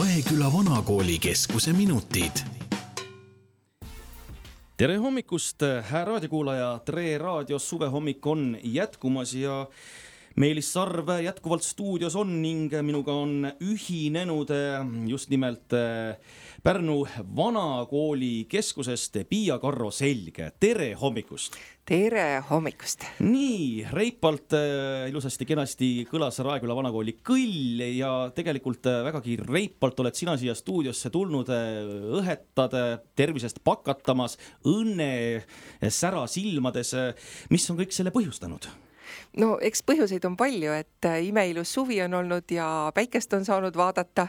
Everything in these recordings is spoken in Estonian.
Raeküla Vanakooli keskuse minutid. Tere hommikust, raadiokuulaja! Tre raadios suvehommik on jätkumas ja Meelis Sarv jätkuvalt stuudios on ning minuga on ühinenud just nimelt Pärnu Vanakooli keskusest Piia-Karro Selg. Tere hommikust! Tere hommikust! Nii, reipalt, ilusasti, kenasti kõlas Raeküla Vanakooli kõll ja tegelikult vägagi reipalt oled sina siia stuudiosse tulnud, õhetad tervisest pakatamas, õnne sära silmades. Mis on kõik selle põhjustanud? No eks põhjuseid on palju, et imeilus suvi on olnud ja päikest on saanud vaadata,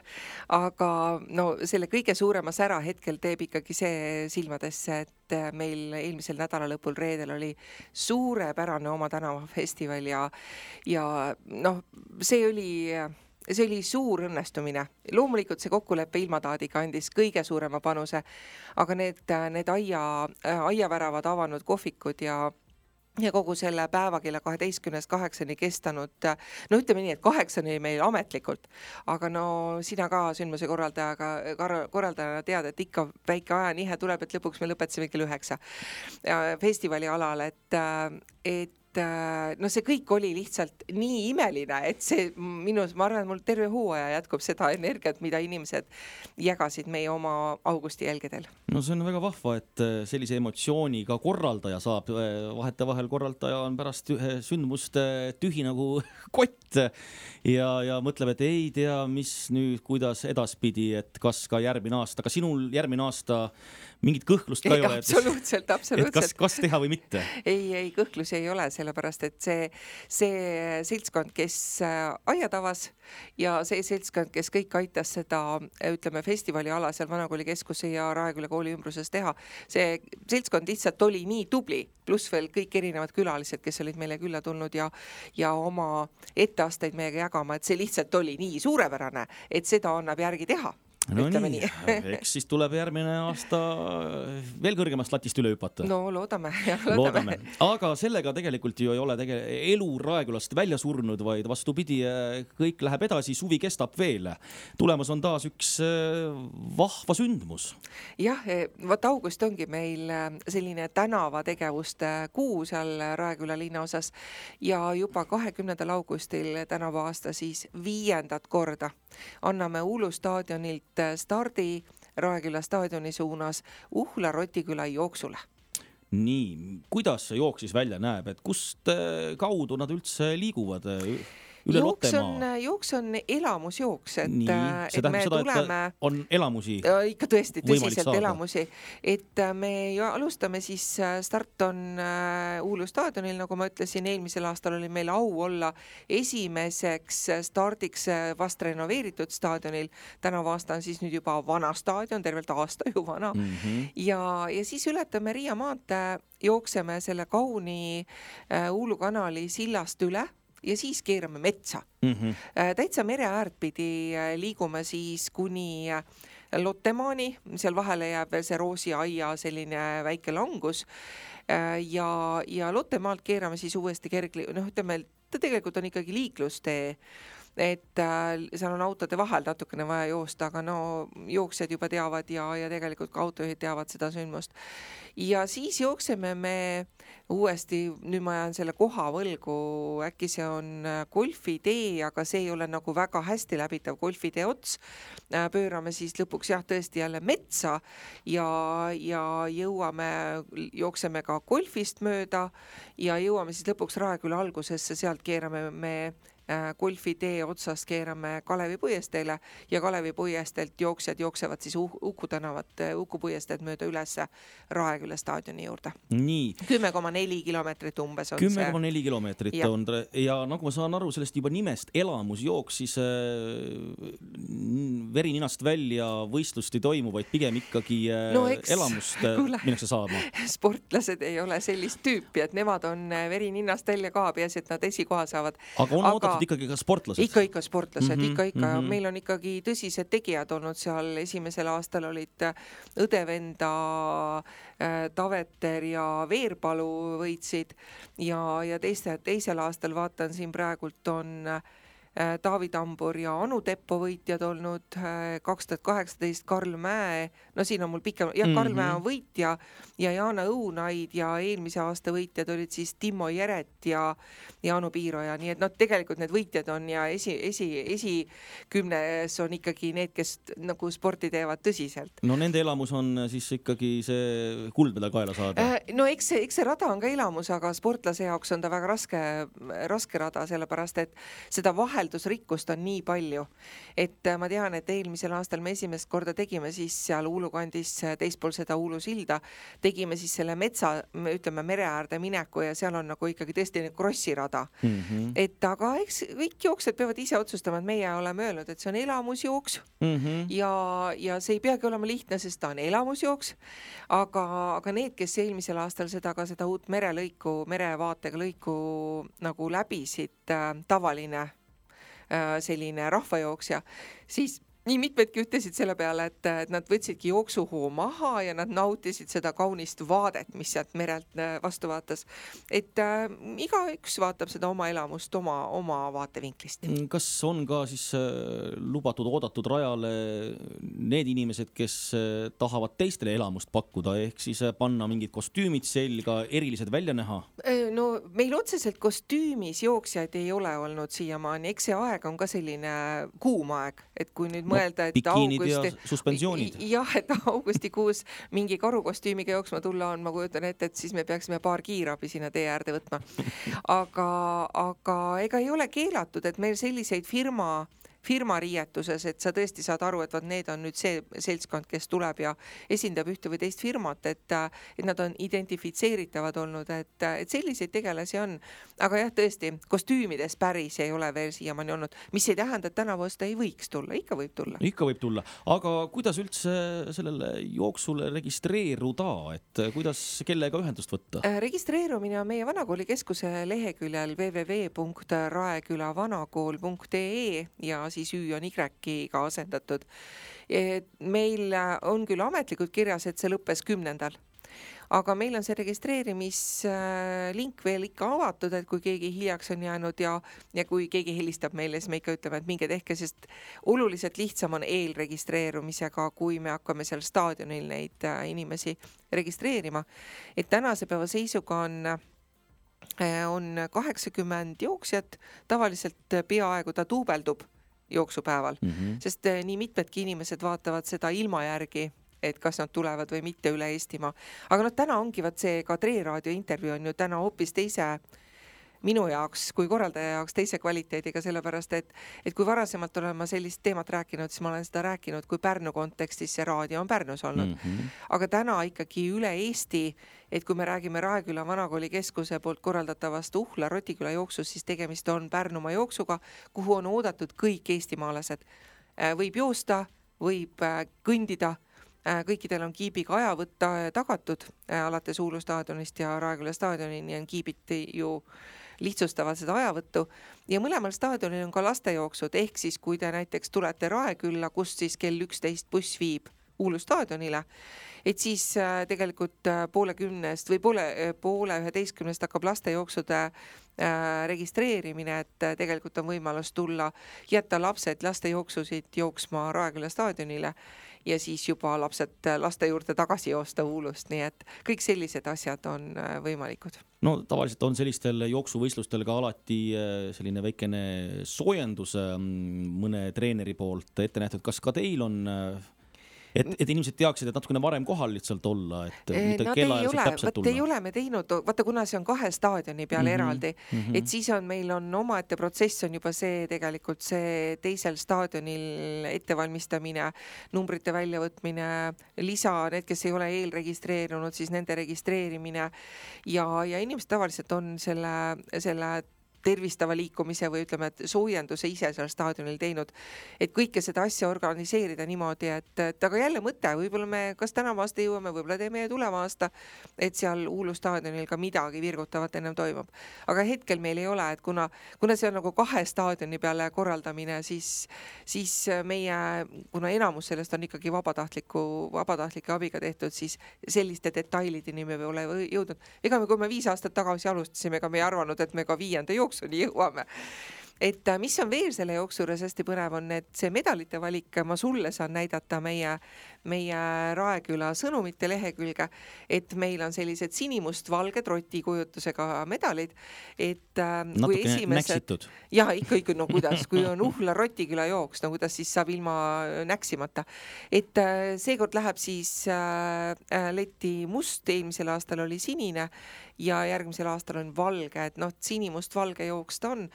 aga no selle kõige suurema sära hetkel teeb ikkagi see silmadesse, et meil eelmisel nädala lõpul reedel oli suurepärane Oma tänava festival ja noh, see oli suur õnnestumine. Loomulikult see kokkuleppe ilmataadiga andis kõige suurema panuse, aga need aiaväravad avanud kohvikud ja kogu selle päeva kella 12:08 kestanud, no ütleme nii, et 8 oli meil ametlikult, aga no sina ka sündmuse korraldajana tead, et ikka väike ajanihe tuleb, et lõpuks me lõpetasime kell 9 festivali alal, et no see kõik oli lihtsalt nii imeline, et see ma arvan, et mul terve hooaja jätkub seda energiat, mida inimesed jagasid meie oma augusti jälgedel. No see on väga vahva, et sellise emotsiooni ka korraldaja saab. Vahetevahel korraldaja on pärast sündmust tühi nagu kott ja mõtleb, et ei tea, mis nüüd, kuidas edaspidi, et kas ka järgmine aasta, aga sinul järgmine aasta mingit kõhklust ka ei ole. Absoluutselt. Et kas teha või mitte? Ei, kõhklusi ei ole, sellepärast, et see seltskond, kes aiad avas ja see seltskond, kes kõik aitas seda, ütleme, festivali ala seal Vanakooli keskuse ja Raeküla kooli ümbruses teha, see seltskond lihtsalt oli nii tubli, pluss veel kõik erinevad külalised, kes olid meile külla tulnud ja oma etteasteid meiega jagama, et see lihtsalt oli nii suurepärane, et seda annab järgi teha. No nii, eks siis tuleb järgmine aasta veel kõrgemast latist üle hüpata. No loodame. Aga sellega tegelikult ju ei ole elu Raekülast välja surnud, vaid vastupidi, kõik läheb edasi, suvi kestab veel. Tulemas on taas üks vahva sündmus. Jah, vaat august ongi meil selline tänavategevuste kuu seal Raeküla linna osas ja juba 20. augustil tänavu aasta siis 5. korda anname Uulu staadionilt stardi Raeküla staadioni suunas Uhla Rotiküla jooksule. Nii, kuidas see jook siis välja näeb, et kust kaudu nad üldse liiguvad üle Lottemaa? Jooks on elamusjooks, et see tähendab me seda, tuleme... et on elamusi ikka tõesti, tõsiselt saada. Elamusi. Et me alustame siis, start on Uulu staadionil, nagu ma ütlesin, eelmisel aastal oli meil au olla esimeseks stardiks vast renoveeritud staadionil. Tänavu aasta on siis nüüd juba vana staadion, tervelt aasta ju vana. Ja siis ületame Riia maantee, jookseme selle kauni Uulu kanali sillast üle ja siis keerame metsa. Täitsa mere äärt pidi liigume siis kuni Lottemaani, seal vahele jääb veel see Roosi aia selline väike langus ja Lottemaalt keerame siis uuesti ütleme, ta tegelikult on ikkagi liiklustee, et seal on autode vahel natukene vaja joosta, aga no jooksjad juba teavad ja tegelikult ka autojuhid teavad seda sündmust. Ja siis jookseme me uuesti, nüüd ma jään selle koha võlgu, äkki see on golfitee, aga see ei ole nagu väga hästi läbitav golfitee ots. Pöörame siis lõpuks tõesti jälle metsa ja jookseme ka golfist mööda ja jõuame siis lõpuks Raeküla algusesse, sealt keerame me golfitee otsast keerame Kalevi puiesteele ja Kalevi puiestelt jooksjad jooksevad siis Uku puiesteed mööda üles Raeküla staadioni juurde. Nii. 10,4 kilomeetrit umbes on 10,4 kilomeetrit on ja nagu ma saan aru sellest juba nimest elamusjooks, siis veri ninast välja võistlust ei toimu, vaid pigem ikkagi elamust minnakse saama. Sportlased ei ole sellist tüüpi, et nemad on veri ninast välja ka, peas, et nad esikoha saavad. Aga on oodatud ikkagi ka sportlased? Ikka sportlased, ikka. Meil on ikkagi tõsised tegijad olnud seal. Esimesel aastal olid õdevenda Taveter ja Veerpalu võitsid ja teisel aastal vaatan siin praegult on Taavi Tambur ja Anu Teppo võitjad olnud, 2018 Karl Mäe, no siin on mul pikem, Karl Mäe on võitja ja Jaana Õunaid ja eelmise aasta võitjad olid siis Timmo Jeret ja Anu Piiroja, nii et tegelikult need võitjad on ja esikümnes on ikkagi need, kes nagu sporti teevad tõsiselt. No nende elamus on siis ikkagi see kuldmedal kaela saada. No eks see rada on ka elamus, aga sportlase jaoks on ta väga raske rada, sellepärast et seda vaheldusrikkust on nii palju, et ma tean, et eelmisel aastal me esimest korda tegime siis seal Uulu kandis teispool seda Uulu silda, tegime siis selle metsa, ütleme mere äärde mineku ja seal on nagu ikkagi tõesti krossirada. Et aga eks kõik jooksjad peavad ise otsustama, et meie oleme öelnud, et see on elamusjooks ja see ei peagi olema lihtne, sest ta on elamusjooks, aga need, kes eelmisel aastal seda uut merevaatega lõiku nagu läbisid, tavaline selline rahvajooksja, siis nii mitmedki ütlesid selle peale, et nad võtsidki jooksuhoo maha ja nad nautisid seda kaunist vaadet, mis sealt merelt vastu vaatas. Et igaüks vaatab seda oma elamust oma vaatevinklist. Kas on ka siis lubatud oodatud rajale need inimesed, kes tahavad teistele elamust pakkuda, ehk siis panna mingid kostüümid selga, erilised välja näha? No meil otseselt kostüümis jooksjaid ei ole olnud siiamaani, eks see aeg on ka selline kuum aeg, et kui nüüd mõelda, et augustikuus mingi karukostüümiga jooksma tulla on, ma kujutan ette, et siis me peaksime paar kiirabi sinna tee äärde võtma. Aga ega ei ole keelatud, et meil selliseid firma riietuses, et sa tõesti saad aru, et need on nüüd see seltskond, kes tuleb ja esindab ühte või teist firmat, et nad on identifitseeritavad olnud, et selliseid tegelasi on. Aga jah, tõesti, kostüümides päris ei ole veel siiamaani olnud, mis ei tähenda, et tänavu aasta ei võiks tulla, ikka võib tulla. Ikka võib tulla, aga kuidas üldse sellele jooksule registreeruda, et kuidas kellega ühendust võtta? Registreerumine on meie Vanakooli keskuse leheküljel www.raekülavanakool.ee ja siis Ü on Y-ga asendatud. Meil on küll ametlikult kirjas, et see lõppes 10. Aga meil on see registreerimislink veel ikka avatud, et kui keegi hiljaks on jäänud ja kui keegi helistab meile, siis me ikka ütleme, et minge tehke, sest oluliselt lihtsam on eelregistreerumisega, kui me hakkame seal staadionil neid inimesi registreerima. Et tänase päeva seisuga on 80 jooksjat, tavaliselt peaaegu ta duubeldub jooksupäeval, sest nii mitmedki inimesed vaatavad seda ilma järgi, et kas nad tulevad või mitte üle Eestimaa. Aga täna ongi see ka Tre Raadio intervjuu on ju täna hoopis teise minu jaoks kui korraldaja jaoks teise kvaliteediga, sellepärast, et kui varasemalt olen ma sellist teemat rääkinud, siis ma olen seda rääkinud, kui Pärnu kontekstis see raadio on Pärnus olnud. Aga täna ikkagi üle Eesti, et kui me räägime Raeküla Vanakooli keskuse poolt korraldatavast Uhla Rotiküla jooksus, siis tegemist on Pärnumaa jooksuga, kuhu on oodatud kõik eestimaalased. Võib joosta, võib kõndida, kõikidel on kiibiga aja võtta tagatud, alates Uulu staadionist ja Raeküla staadionini on kiibid ju lihtsustavad seda ajavõttu ja mõlemal staadionil on ka lastejooksud, ehk siis kui te näiteks tulete Raekülla, kus siis kell 11 buss viib Uulu staadionile, et siis tegelikult poole 10 või poole 11 hakkab lastejooksude registreerimine, et tegelikult on võimalus tulla, jätta lapsed lastejooksusid jooksma Raeküla staadionile ja siis juba lapsed laste juurde tagasi joosta Uulust, nii et kõik sellised asjad on võimalikud. No tavaliselt on sellistel jooksuvõistlustel ka alati selline väikene soojendus mõne treeneri poolt ette nähtud. Kas ka teil on, et inimesed teaksid, et natukene varem kohal lihtsalt olla, et mitte kellaajal täpselt tulla? Ei ole me teinud, vaata kuna see on 2 staadioni peal eraldi, et siis meil on omaette protsess on juba see tegelikult see teisel staadionil ettevalmistamine, numbrite väljavõtmine, lisa, need, kes ei ole eelregistreerunud, siis nende registreerimine ja inimesed tavaliselt on selle tervistava liikumise või ütleme, et soojenduse ise seal staadionil teinud, et kõike seda asja organiseerida niimoodi, et aga jälle mõte, võib-olla me kas tänavu aasta jõuame, võib-olla teeme tuleva aasta, et seal Uulu staadionil ka midagi virgutavat ennem toimub. Aga hetkel meil ei ole, et kuna see on nagu 2 staadioni peale korraldamine, siis meie, kuna enamus sellest on ikkagi vabatahtlike abiga tehtud, siis selliste detailideni me ole jõudnud. Ega kui me 5 aastat tagasi alustasime, ega me ei arvanud, et me ka 5. jooksuni jõuame. et mis on veel selle jooksu juures hästi põnev on, et see medalite valik, ma sulle saan näidata meie Raeküla sõnumite lehekülge, et meil on sellised sinimustvalged rotikujutusega medalid, et natuke näksitud. Jah, ikka, no kuidas, kui on Uhla Rotiküla jooks, no kuidas siis saab ilma näksimata. Et seekord läheb siis letti must, eelmisel aastal oli sinine ja järgmisel aastal on valge, et noh, sinimust-valge jooks ta on.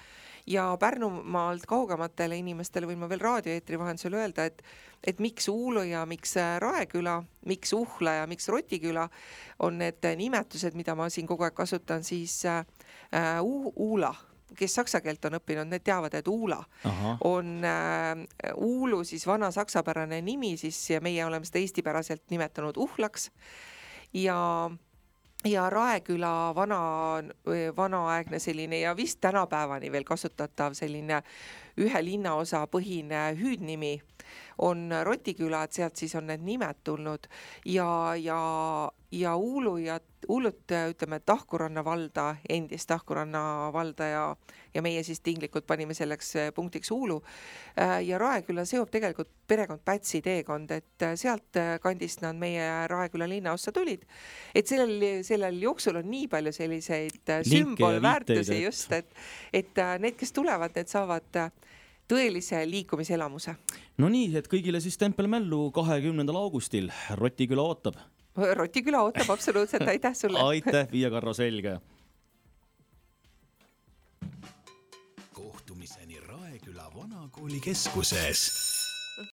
Ja Pärnumaalt kaugematele inimestele võin ma veel raadioeetri vahendusel öelda, et miks Uulu ja miks Raeküla, miks Uhla ja miks Rotiküla on need nimetused, mida ma siin kogu aeg kasutan, siis Uula, kes saksa keelt on õppinud, need teavad, et Uula on Uulu siis vana saksapärane nimi, siis ja meie oleme seda eestipäraselt nimetanud Uhlaks ja Raeküla vanaaegne selline ja vist tänapäevani veel kasutatav selline ühe linnaosa põhine hüüdnimi on Rotiküla, et sealt siis on need nimed tulnud ja Uulut ütleme Tahkuranna valda, endist Tahkuranna valda ja meie siis tinglikult panime selleks punktiks Uulu ja Raeküla seob tegelikult perekond Pätsi teekond, et sealt kandist nad meie Raeküla linnaossa tulid, et sellel jooksul on nii palju selliseid sümbolväärtusi just, et need, kes tulevad, need saavad tõelise liikumiselamuse. No nii, et kõigile siis tempelmällu 20. augustil. Rotiküla ootab. Rotiküla ootab absoluutselt, aitäh sulle. Aitäh, Viia Karro, selge. Kohtumiseni Raeküla vanakooli keskuses.